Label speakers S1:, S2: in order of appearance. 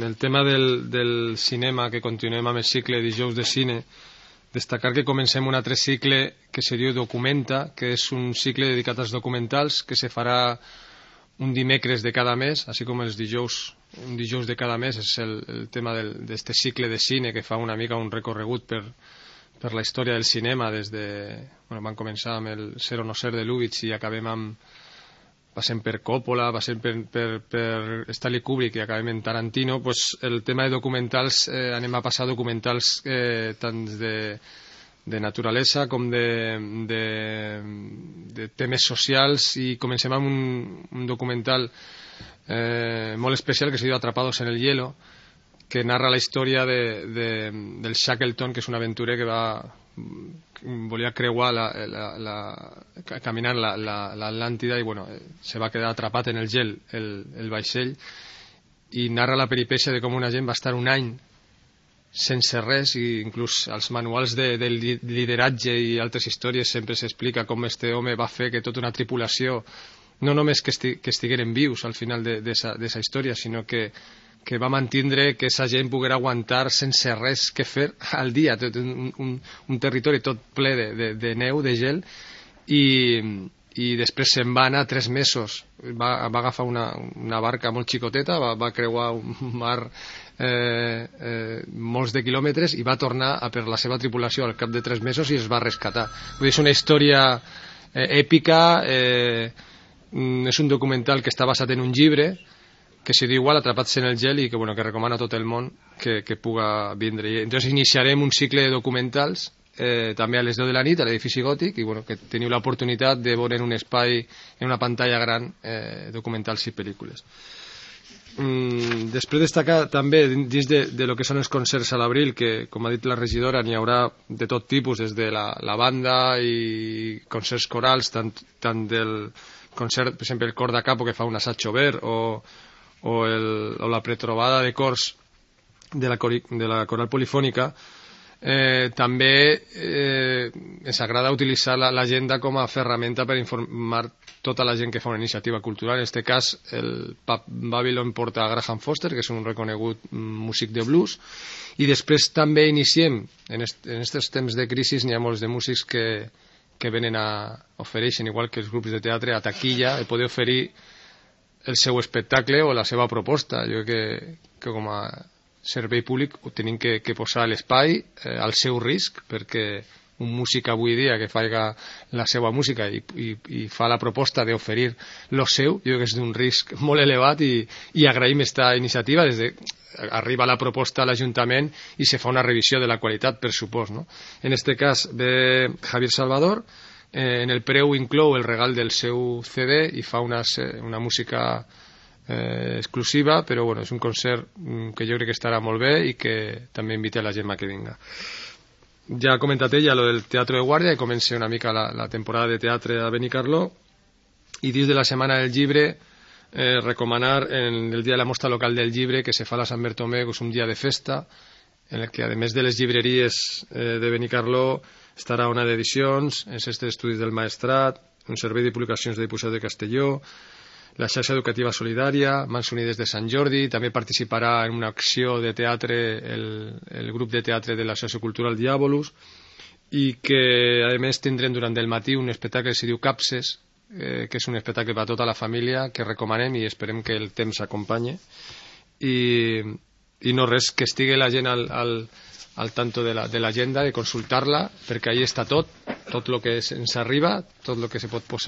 S1: el tema del cinema, que continuem amb el cicle Dijous de Cine, destacar que comencem un altre cicle que se diu Documenta, que és un cicle dedicat als documentals que se farà un dimecres de cada mes, així com els dijous, un dijous de cada mes. És el tema d'este cicle de cine que fa una mica un recorregut per la història del cinema des de... Bueno, van començar amb el Ser o no ser de Lubitsch i acabem amb... passem per Coppola, passem per Stanley Kubrick i acabem en Tarantino. Pues el tema de documentals, anem a passar documentals tant de naturalesa com de temes socials, i comencem amb un documental molt especial que se diu Atrapados en el hielo, que narra la història del Shackleton, que és un aventurer que volia creuar caminant l'Atlàntida i bueno, se va quedar atrapat en el gel el vaixell, i narra la peripècia de com una gent va estar un any sense res, i inclús als manuals de lideratge i altres històries sempre s'explica com este home va fer que tota una tripulació no només que estigueren vius al final d'esa història, sinó que va mantindre que esa gent poguera aguantar sense res que fer al dia, un territori tot ple de neu, de gel, i després se'n va anar 3 mesos, va agafar una barca molt xicoteta, va creuar un mar molts de quilòmetres i va tornar per la seva tripulació al cap de 3 mesos i es va rescatar. Vull dir, és una història èpica, és un documental que està basat en un llibre que se diu igual, Atrapats en el gel, i que recomana a tot el món que puga vindre. I entonces iniciarem un cicle de documentals també a les 10 de la nit a l'edifici Gòtic, i que teniu l'oportunitat de veure en un espai, en una pantalla gran, documentals i pel·lícules. Després destacar també dins de lo que són els concerts a l'abril, que com ha dit la regidora n'hi haurà de tot tipus, des de la banda i concerts corals, tant del concert, per exemple el cor da capo, que fa un assaig obert, o la pretrobada de cors de la coral polifònica. També ens agrada utilitzar l'agenda com a ferramenta per informar tota la gent que fa una iniciativa cultural. En aquest cas el Pub Babylon porta a Graham Foster, que és un reconegut músic de blues, i després també iniciem, en aquests temps de crisi n'hi ha molts de músics que venen ofereixen, igual que els grups de teatre, a taquilla, de poder oferir el seu espectacle o la seva proposta. Jo crec que com a servei públic ho tenim que posar a l'espai al seu risc, perquè un músic avui dia que faig la seva música i fa la proposta d'oferir lo seu, jo crec que és d'un risc molt elevat, i agraïm aquesta iniciativa. Arriba la proposta a l'Ajuntament i se fa una revisió de la qualitat, per supost, no? En aquest cas ve Javier Salvador, en el preu inclou el regal del seu CD i fa una música exclusiva, però és un concert que jo crec que estarà molt bé i que també invita la gent a que vinga. Ja ha comentat ella lo del Teatre de Guàrdia, i comença una mica la temporada de teatre a Benicarló, i dins de la Setmana del Llibre recomanar el dia de la mostra local del llibre que se fa a la Sant Bertomé, que és un dia de festa en el que, a més de les llibreries de Benicarló, estarà una d'edicions, el Centre d'Estudis del Maestrat, un servei de publicacions de Dibuixos de Castelló, la xarxa educativa solidària, Mans Unides de Sant Jordi. També participarà en una acció de teatre el grup de teatre de l'Associació Cultural Diàbolus, i que a més tindrem durant el matí un espectacle que se diu Capses, que és un espectacle per a tota la família, que recomanem i esperem que el temps s'acompanye. I no res, que estigui la gent al tanto de l'agenda, de consultar-la, perquè ahí està tot el que ens arriba, tot el que se pot posar.